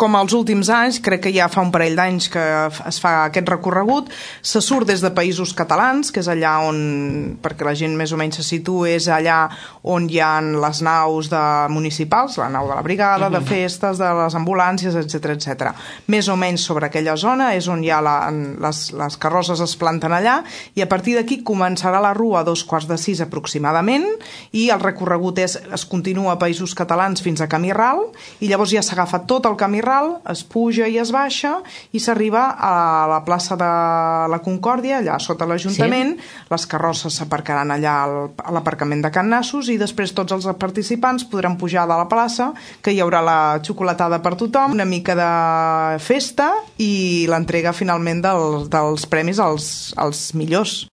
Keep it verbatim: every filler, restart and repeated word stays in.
com els últims anys, crec que ja fa un parell d'anys que es fa aquest recorregut, se surt des de Països Catalans, que és allà on, perquè la gent més o menys se situa, és allà on hi ha les naus de municipals, la nau de la brigada, de festes, de les ambulàncies, etcètera, etcètera. Més o menys sobre aquella zona és on hi ha la, les, les carrosses es planten allà, i a partir d'aquí començarà la rua a dos quarts de sis aproximadament, i el recorregut és, es continua a Països Catalans fins a Camí Ral, i llavors ja s'agafa tot el Camí Ral, es puja i es baixa i s'arriba a la plaça de la Concòrdia, allà sota l'Ajuntament. Sí. Les carrosses s'aparcaran allà al, a l'aparcament de Can Nassos, i després tots els participants podran pujar de la plaça, que hi haurà la xocolatada per tothom, una mica de festa i l'entrega finalment del, dels premis als, als millors.